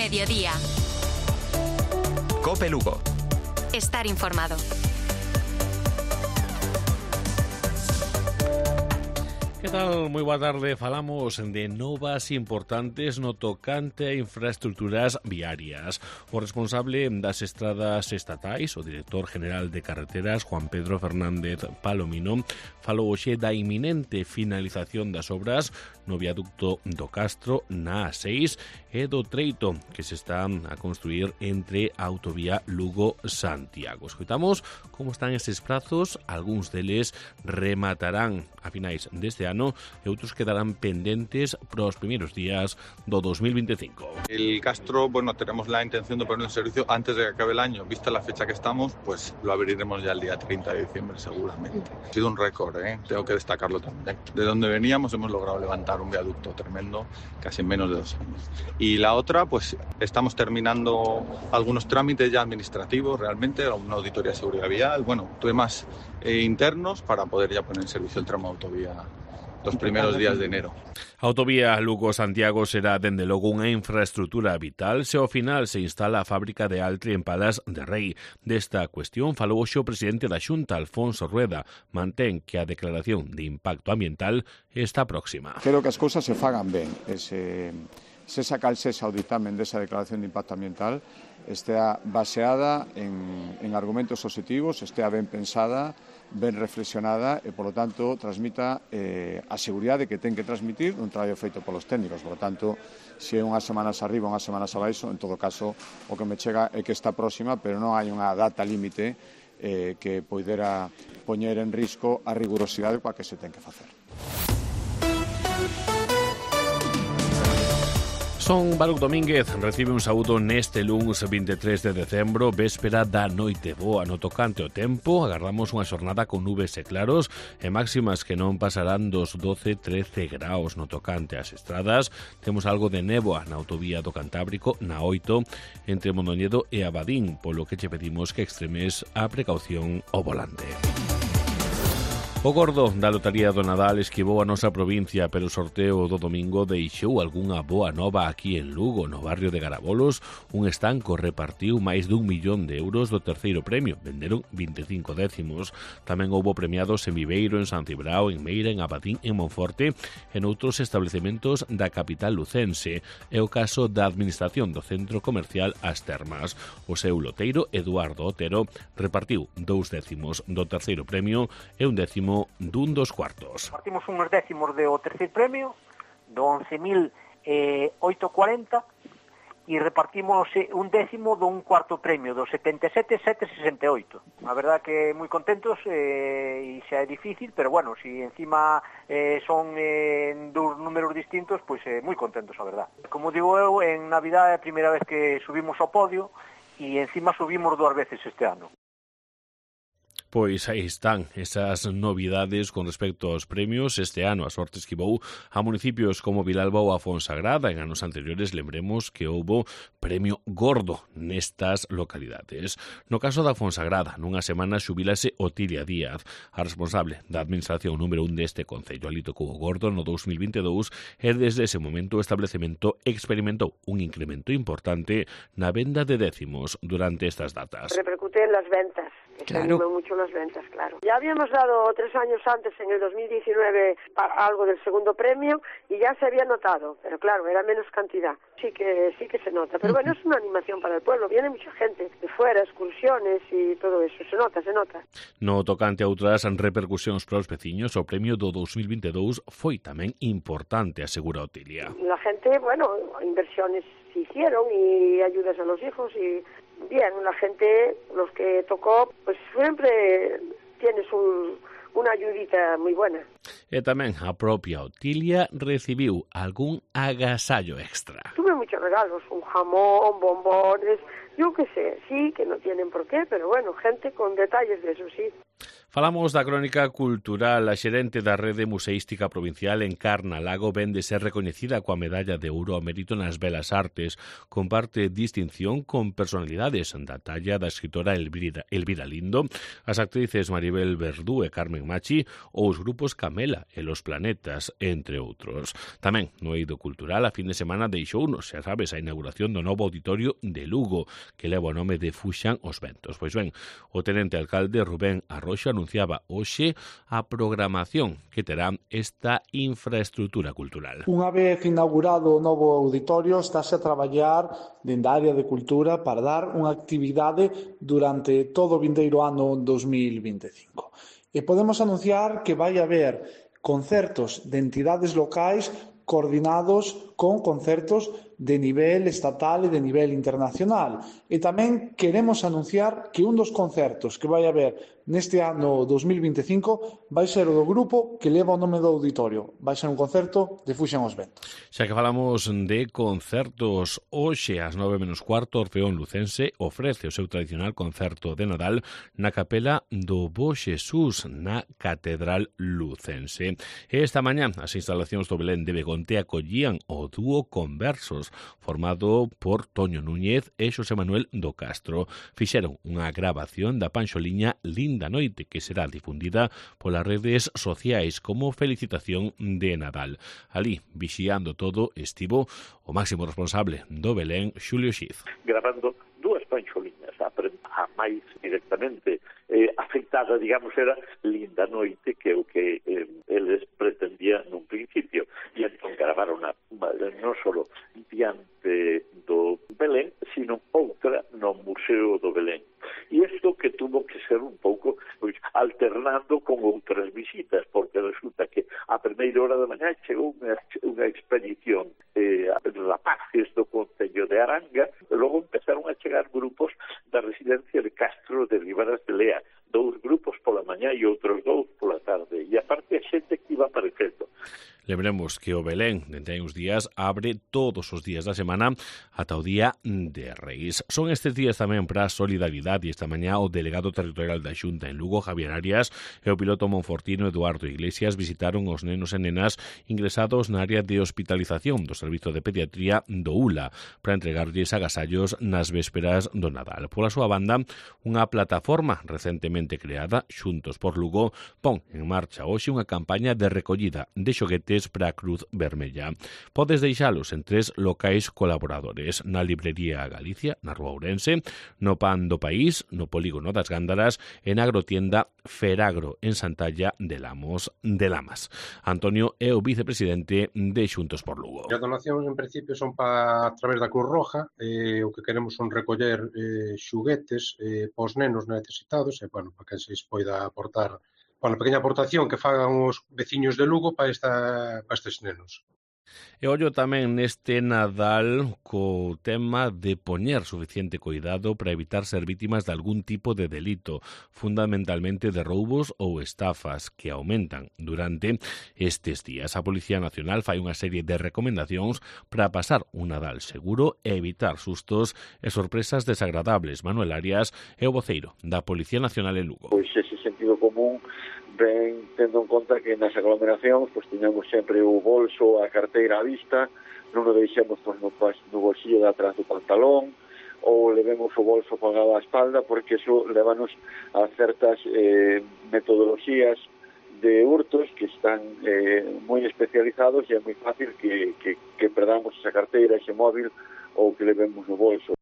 Mediodía. COPE Lugo. Estar informado. Que tal? Moi boa tarde. Falamos de novas importantes no tocante a infraestructuras viarias. O responsable das estradas estatais, o director general de carreteras, Juan Pedro Fernández Palomino, falou hoxe da inminente finalización das obras no viaducto do Castro na A6 e do treito que se está a construir entre a autovía Lugo-Santiago. Escoitamos como están estes prazos. Algúns deles rematarán a finais deste ano e outros quedarán pendentes para os primeiros días do 2025. El Castro, bueno, tenemos la intención de ponerlo en servicio antes de que acabe el año. Vista la fecha que estamos, pues lo abriremos ya el día 30 de diciembre seguramente. Ha sido un récord, tengo que destacarlo también. De donde veníamos hemos logrado levantar un viaducto tremendo casi en menos de 2 años. Y la otra, pues estamos terminando algunos trámites ya administrativos realmente, una auditoría de seguridad vial, bueno, temas internos para poder ya poner en servicio el tramo de autovía los primeros días de enero. A autovía Lugo-Santiago será, dende logo, unha infraestructura vital se ao final se instala a fábrica de Altri en Palas de Rei. Desta cuestión falou hoxe o presidente da Xunta, Alfonso Rueda. Mantén que a declaración de impacto ambiental está próxima. Quero que as cousas se fagan ben. Se sacalse ao dictamen desa declaración de impacto ambiental estea baseada en argumentos positivos, estea ben pensada, ben reflexionada e, polo tanto, transmita a seguridade que ten que transmitir un traballo feito polos técnicos. Por lo tanto, se é unhas semanas arriba, unhas semanas abaixo, en todo caso, o que me chega é que está próxima, pero non hai unha data límite que poidera poñer en risco a rigurosidade coa que se ten que facer. Son Baruch Domínguez recibe un saúdo neste luns 23 de decembro, véspera da noite boa. No tocante ao tempo, agardamos unha xornada con nubes e claros e máximas que non pasarán dos 12-13 graus. No tocante ás estradas, temos algo de néboa na autovía do Cantábrico, na 8, entre Mondoñedo e Abadín, polo que che pedimos que extremes a precaución ao volante. O gordo da lotaría do Nadal esquivou a nosa provincia, pero o sorteo do domingo deixou algunha boa nova aquí en Lugo. No barrio de Garabolos, un estanco repartiu máis d'1 millón de euros do terceiro premio. Venderon 25 décimos. Tamén houbo premiados en Viveiro, en San Cibrao, en Meira, en Abadín, en Monforte e noutros establecementos da capital lucense. É o caso da administración do centro comercial As Termas. O seu loteiro, Eduardo Otero, repartiu 2 décimos do terceiro premio e 1 décimo dun dos cuartos. Partimos uns décimos do terceiro premio, do 11.840, e repartimos un décimo dun cuarto premio, do 77.768. A verdad que moi contentos, e xa é difícil, pero bueno, si encima son dos números distintos, pois moi contentos, a verdad. Como digo eu, en Navidad é a primeira vez que subimos ao podio, e encima subimos 2 veces este ano. Pois aí están esas novidades con respecto aos premios. Este ano a sorte esquivou a municipios como Vilalba ou a Fonsagrada. En anos anteriores lembremos que houbo premio gordo nestas localidades. No caso da Fonsagrada, nunha semana xubilase Otilia Díaz, a responsable da administración número 1 deste concello. Ali tocou o gordo no 2022 e desde ese momento o establecemento experimentou un incremento importante na venda de décimos durante estas datas. Repercute en las ventas. Claro. Mucho las ventas, claro. Ya habíamos dado 3 años antes, en el 2019, algo del segundo premio y ya se había notado, pero claro, era menos cantidad. Sí que se nota, pero bueno, es una animación para el pueblo. Viene mucha gente de fuera, excursiones y todo eso, se nota. No tocante a outras repercusións para os veciños, o premio do 2022 foi tamén importante, asegura Otilia. La gente, bueno, inversiones se hicieron y ayudas a los hijos y bien, la gente, los que tocó, pues siempre tienes una ayudita muy buena. E tamén a propia Otilia recibiu algún agasallo extra. Tuve muchos regalos, un jamón, bombones, yo qué sé, sí, que no tienen por qué, pero bueno, gente con detalles de eso, sí. Falamos da crónica cultural. A xerente da Rede Museística Provincial Encarna Lago vén de ser recoñecida coa medalla de ouro ao mérito nas belas artes. Comparte distinción con personalidades da talla da escritora Elvira Lindo, as actrices Maribel Verdú e Carmen Machi ou os grupos Camela e Los Planetas, entre outros. Tamén no eido cultural a fin de semana deixounos, xa sabes, a inauguración do novo auditorio de Lugo, que leva o nome de Fuxan os Ventos. Pois ben, o tenente alcalde Rubén Arroxo anunciaba hoxe a programación que terá esta infraestrutura cultural. Unha vez inaugurado o novo auditorio, estáse a traballar dende a área de cultura para dar unha actividade durante todo o vindeiro ano 2025. E podemos anunciar que vai haber concertos de entidades locais coordinados con concertos de nivel estatal e de nivel internacional. E tamén queremos anunciar que un dos concertos que vai haber neste ano 2025 vai ser o do grupo que leva o nome do auditorio. Vai ser un concerto de Fuxan os Ventos. Xa que falamos de concertos, hoxe ás 9:15 Orfeón Lucense ofrece o seu tradicional concerto de Nadal na capela do Bo Xesús na Catedral Lucense. E esta mañá as instalacións do Belén de Begonte acollían o dúo Conversos, formado por Toño Núñez e Xosé Manuel do Castro. Fixeron unha grabación da panxoliña Linda Noite, que será difundida polas redes sociais como felicitación de Nadal. Ali, vixiando todo, estivo o máximo responsable do Belén, Xulio Xiz. Grabando dúas panxoliñas, a máis directamente afectada, digamos, era Linda Noite, que é o que eles pretendían nun principio. E entón gravaron non só diante do Belén, sino outra no Museo do Belén. E isto que tuvo que ser un pouco alternando con outras visitas, porque resulta que a primeira hora da mañá chegou unha expedición rapaces do Concello de Aranga, e logo empezaron a chegar grupos da residencia de Castro de Ribaras de Lea, 2 grupos pola mañá e outros 2 pola tarde, e aparte a xente que iba aparecendo. Lembremos que o Belén, dende hai uns días, abre todos os días da semana ata o día de Reis. Son estes días tamén para a solidaridade, e esta mañá o delegado territorial da Xunta en Lugo, Javier Arias, e o piloto monfortino Eduardo Iglesias visitaron os nenos e nenas ingresados na área de hospitalización do Servizo de Pediatría do ULA para entregarlles agasallos nas vésperas do Nadal. Pola súa banda, unha plataforma recentemente creada, Xuntos por Lugo, pon en marcha hoxe unha campaña de recollida de xoguetes para a Cruz Vermella. Podes deixalos en 3 locais colaboradores: na Librería Galicia, na Rúa Ourense, no Pan do País, no Polígono das Gándaras e na agrotienda Feragro, en Santalla de Lamas. Antonio é o vicepresidente de Xuntos por Lugo. As donacións, en principio, son a través da Cruz Roja. O que queremos son recoller xuguetes pos nenos necesitados e, para que se poida aportar a pequena aportación que fagan os veciños de Lugo para estes nenos. E ollo tamén neste Nadal co tema de poñer suficiente cuidado para evitar ser vítimas de algún tipo de delito, fundamentalmente de roubos ou estafas que aumentan durante estes días. A Policía Nacional fai unha serie de recomendacións para pasar un Nadal seguro e evitar sustos e sorpresas desagradables. Manuel Arias é o voceiro da Policía Nacional en Lugo. Pois ese sentido común ven tendo en conta que nas aglomeracións teñamos sempre o bolso, a carteira á vista, non o deixemos no bolsillo de atrás do pantalón ou levemos o bolso pagado á espalda, porque iso levanos a certas metodoloxías de hurtos que están moi especializados e é moi fácil que perdamos esa carteira, ese móvil ou que levemos no bolso.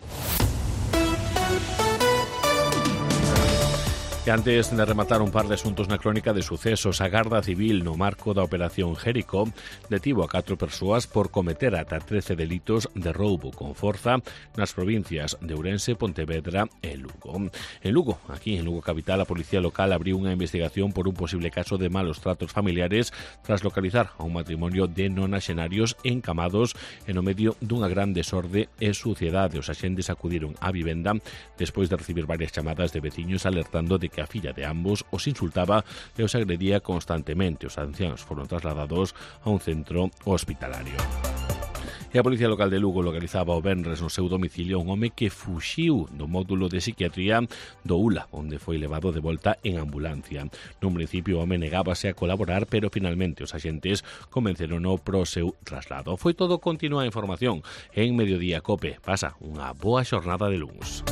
E antes de rematar un par de asuntos na crónica de sucesos, a Garda Civil, no marco da Operación Jericó, detivo a 4 persoas por cometer ata 13 delitos de roubo con forza nas provincias de Ourense, Pontevedra e Lugo. En Lugo, aquí en Lugo Capital, a Policía Local abriu unha investigación por un posible caso de malos tratos familiares tras localizar a un matrimonio de nonaxenarios encamados e no medio dunha gran desorde e suciedade. Os axentes acudiron á vivenda despois de recibir varias chamadas de veciños alertando de que a filla de ambos os insultaba e os agredía constantemente. Os ancianos foron trasladados a un centro hospitalario. E a Policía Local de Lugo localizaba o venres no seu domicilio un home que fuxiu do módulo de psiquiatría do ULA, onde foi levado de volta en ambulancia. Nun principio o home negábase a colaborar, pero finalmente os axentes convencerono pro seu traslado. Foi todo. Continúa a información en Mediodía Cope. Pasa unha boa xornada de luns.